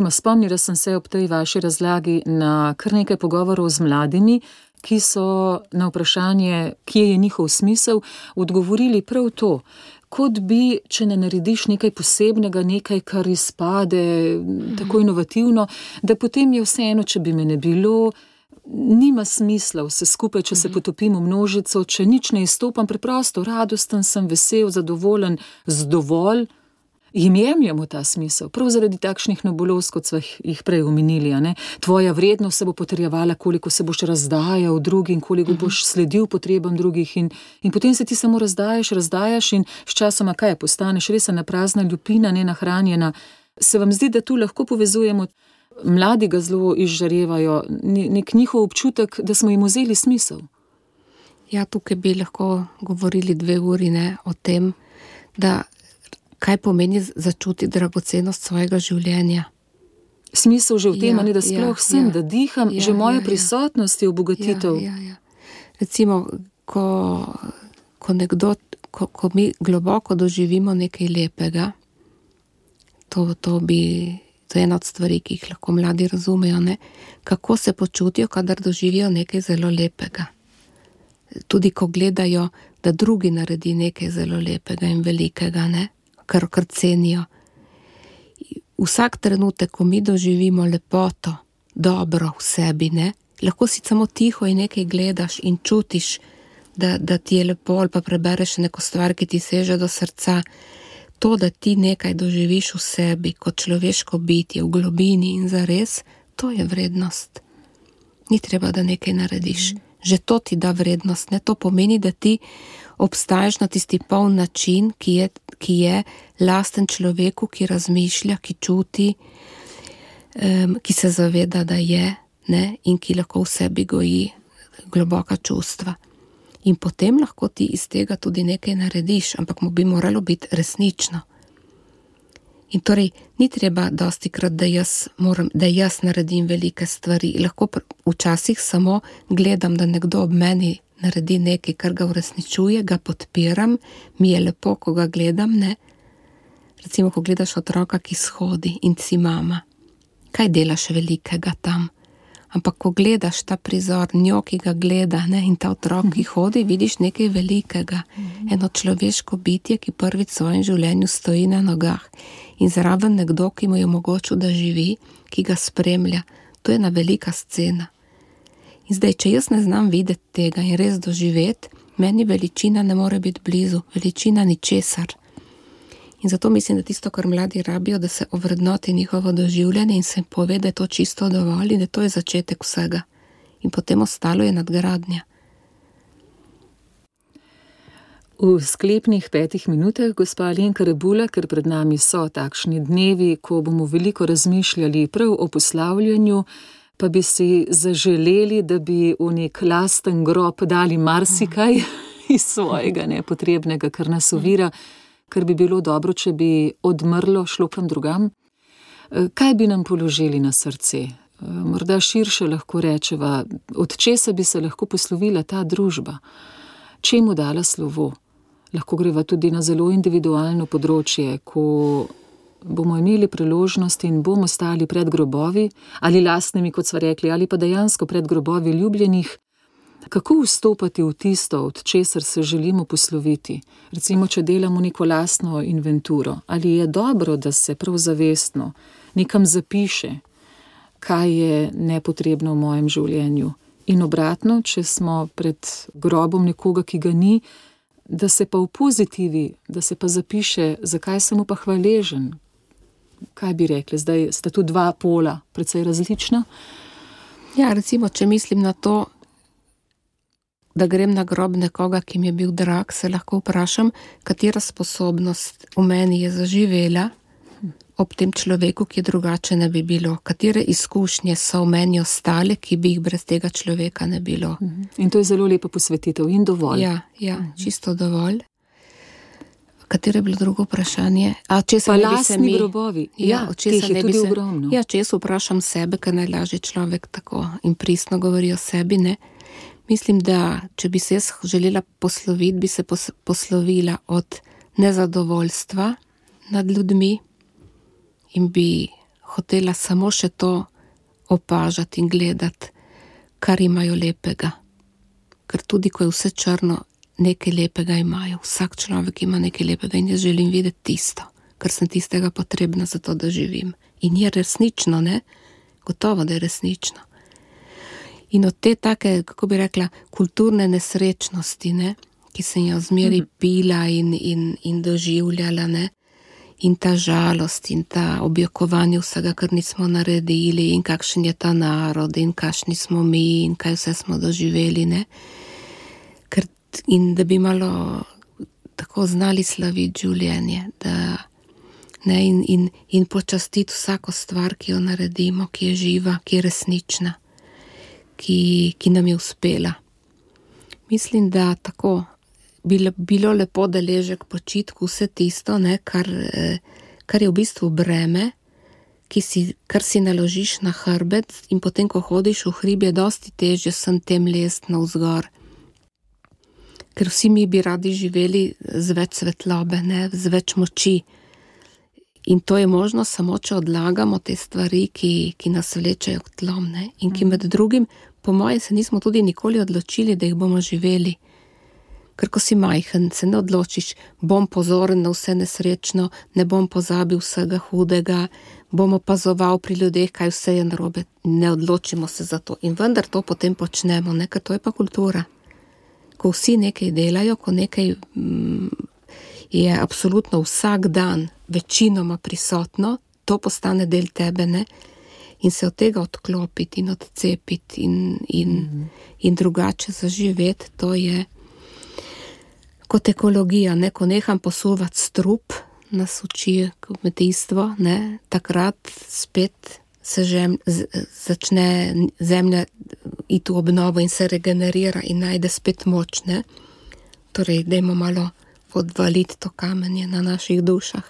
spomnila sem se ob tej vaši razlagi na kar nekaj pogovorov z mladimi, ki so na vprašanje, kje je njihov smisel, odgovorili prav to. Kot bi, če ne narediš nekaj posebnega, nekaj, kar izpade tako inovativno, da potem je vseeno, če bi me ne bilo, nima smisla vse skupaj, če se potopim v množico, če nič ne izstopam, preprosto radosten sem, vesel, zadovoljen, z dovolj. Jim jemljamo ta smisel, prav zaradi takšnih nebuloz, kot so jih prej omenili. Tvoja vrednost se bo potrjevala, koliko se boš razdajal drugim, koliko boš sledil potrebam drugih in potem se ti samo razdajaš in sčasoma kaj postaneš, res ena prazna lupina, nenahranjena. Se vam zdi, da tu lahko povezujemo, mladi ga zelo izžarevajo, nek njihov občutek, da smo jim vzeli smisel? Ja, tukaj bi lahko govorili 2 uri o tem, da kaj pomeni začuti dragocenost svojega življenja. Smisel že v tem, da sploh sem, da diham, že moja prisotnost je obogatitev. Ja. Recimo, ko mi globoko doživimo nekaj lepega, to je ena od stvari, ki jih lahko mladi razumejo, kako se počutijo, kadar doživijo nekaj zelo lepega. Tudi ko gledajo, da drugi naredi nekaj zelo lepega in velikega, kar cenijo. Vsak trenutek, ko mi doživimo lepoto, dobro v sebi, lahko si samo tiho in nekaj gledaš in čutiš, da ti je lepo, ali pa prebereš neko stvar, ki ti seže do srca. To, da ti nekaj doživiš v sebi, kot človeško bitje, v globini in zares, to je vrednost. Ni treba, da nekaj narediš. Že to ti da vrednost, to pomeni, da ti obstaješ na tisti poln način, ki je lasten človeku, ki razmišlja, ki čuti, ki se zaveda, da je, in ki lahko v sebi goji globoka čustva. In potem lahko ti iz tega tudi nekaj narediš, ampak mu bi moralo biti resnično. In torej, ni treba dostikrat, da jaz naredim velike stvari. Lahko včasih samo gledam, da nekdo ob meni naredi nekaj, kar ga uresničuje, ga podpiram, mi je lepo, ko ga gledam, Recimo, ko gledaš otroka, ki shodi in si mama, kaj delaš velikega tam? Ampak ko gledaš ta prizor, njo, ki ga gleda, in ta otrok, ki hodi, vidiš nekaj velikega. Eno človeško bitje, ki prvič v svojem življenju stoji na nogah. In zraven nekdo, ki mu je omogočil, da živi, ki ga spremlja. To je ena velika scena. In zdaj, če jaz ne znam videti tega in res doživeti, meni veličina ne more biti blizu, veličina ničesar. In zato mislim, da tisto, kar mladi rabijo, da se ovrednoti njihovo doživljanje in se pove, da je to čisto dovolj in da to je začetek vsega. In potem ostalo je nadgradnja. V sklepnih 5 minutah, gospa Alenka Rebula, ker pred nami so takšni dnevi, ko bomo veliko razmišljali prav o poslavljanju, pa bi si zaželeli, da bi v nek lasten grob dali marsikaj iz svojega nepotrebnega, kar nas ovira, kar bi bilo dobro, če bi odmrlo, šlo kam drugam. Kaj bi nam položili na srce? Morda širše lahko rečeva, od česa bi se lahko poslovila ta družba? Čemu dala slovo? Lahko greva tudi na zelo individualno področje, ko bomo imeli priložnost in bomo stali pred grobovi, ali lastnimi, kot sva rekli, ali pa dejansko pred grobovi ljubljenih, kako vstopati v tisto, od česar se želimo posloviti? Recimo, če delamo neko lastno inventuro, ali je dobro, da se prav zavestno nekam zapiše, kaj je nepotrebno v mojem življenju. In obratno, če smo pred grobom nekoga, ki ga ni, da se pa v pozitivi, da se pa zapiše, zakaj sem mu pa hvaležen. Kaj bi rekli, zdaj sta tu dva pola, precej različna? Ja, recimo, če mislim na to, da grem na grob nekoga, ki mi je bil drag, se lahko vprašam, katera sposobnost v meni je zaživela ob tem človeku, ki drugače ne bi bilo. Katere izkušnje so v meni ostale, ki bi jih brez tega človeka ne bilo. In to je zelo lepa posvetitev in dovolj. Ja, čisto dovolj. Katero je bilo drugo vprašanje? Pa lastni grobovi. Ja, teh je tudi ogromno. Ja, če jaz vprašam sebe, ker najlažje človek tako in pristno govori o sebi, ne? Mislim, da če bi se jaz želela posloviti, bi se poslovila od nezadovoljstva nad ljudmi in bi hotela samo še to opažati in gledati, kar imajo lepega. Ker tudi, ko je vse črno, nekaj lepega imajo. Vsak človek ima nekaj lepega in jaz želim videti tisto, ker sem tistega potrebna za to, da živim. In je resnično, ne? Gotovo, da je resnično. In od te take, kako bi rekla, kulturne nesrečnosti, ne? Ki sem jo zmeri pila in doživljala, ne? In ta žalost in ta objokovanje vsega, kar nismo naredili in kakšen je ta narod in kakšni smo mi in kaj vse smo doživeli, ne? In da bi malo tako znali slaviti življenje, da, ne, in počastiti vsako stvar, ki jo naredimo, ki je živa, ki je resnična, ki nam je uspela. Mislim, da tako bilo lepo deležek počitku, vse tisto, ne, kar je v bistvu breme, kar si naložiš na hrbet in potem, ko hodiš v hrib, je dosti težje sem tem lest navzgor. Ker vsi mi bi radi živeli z več svetlobe, ne, z več moči. In to je možno samo, če odlagamo te stvari, ki nas vlečejo k tlom, ne, in ki med drugim, po moje, se nismo tudi nikoli odločili, da jih bomo živeli. Ker ko si majhen, se ne odločiš, bom pozoren na vse nesrečno, ne bom pozabil vsega hudega, bom opazoval pri ljudeh, kaj vse je narobe. Ne odločimo se za to. In vendar to potem počnemo, ne, ker to je pa kultura. Ko vsi nekaj delajo, ko nekaj je absolutno vsak dan večinoma prisotno, to postane del tebe, ne? In se od tega odklopiti in odcepiti in drugače zaživeti, to je kot ekologija, ne? Ko neham posuvati strup, nas uči kmetijstvo, ne? Takrat spet se začne zemlja iti v obnovo in se regenerira in najde spet moč, ne? Torej, dajmo malo odvaliti to kamenje na naših dušah.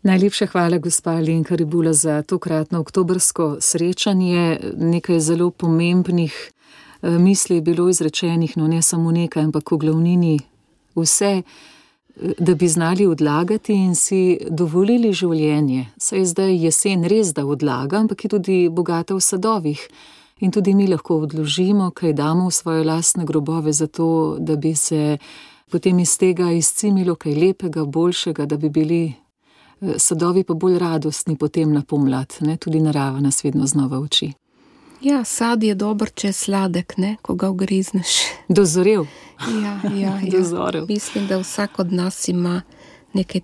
Najlepša hvala, gospa Alenka Rebula, za tokratno oktobrsko srečanje. Nekaj zelo pomembnih misli je bilo izrečenih, no ne samo nekaj, ampak v glavnini vse, da bi znali odlagati in si dovolili življenje. Saj zdaj jesen res, da odlaga, ampak je tudi bogata v sadovih. In tudi mi lahko odložimo, kaj damo v svoje lastne grobove, zato da bi se potem iz tega izcimilo kaj lepega, boljšega, da bi bili sadovi pa bolj radostni potem na pomlad, ne? Tudi narava nas vedno znova uči. Ja, sad je dober, če je sladek, ne? Ko ga ugrizneš. Dozorel. Ja. Dozorel. Mislim, da vsak od nas ima nekaj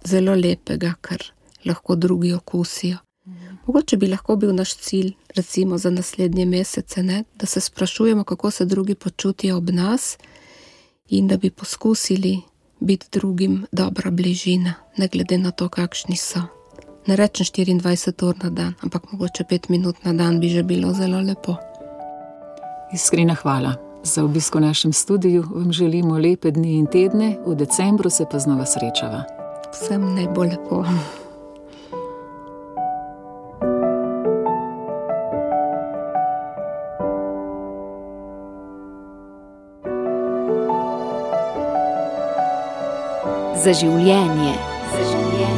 zelo lepega, kar lahko drugi okusijo. Mogoče bi lahko bil naš cilj, recimo za naslednje mesece, ne? Da se sprašujemo, kako se drugi počutijo ob nas in da bi poskusili biti drugim dobra bližina, ne glede na to, kakšni so. Ne rečem 24 ur na dan, ampak mogoče 5 minut na dan bi že bilo zelo lepo. Iskrena hvala za obisk v našem studiu. Vam želimo lepe dni in tedne, v decembru se pa znova srečava. Vsem najbolj lepo. Za življenje. Za življenje.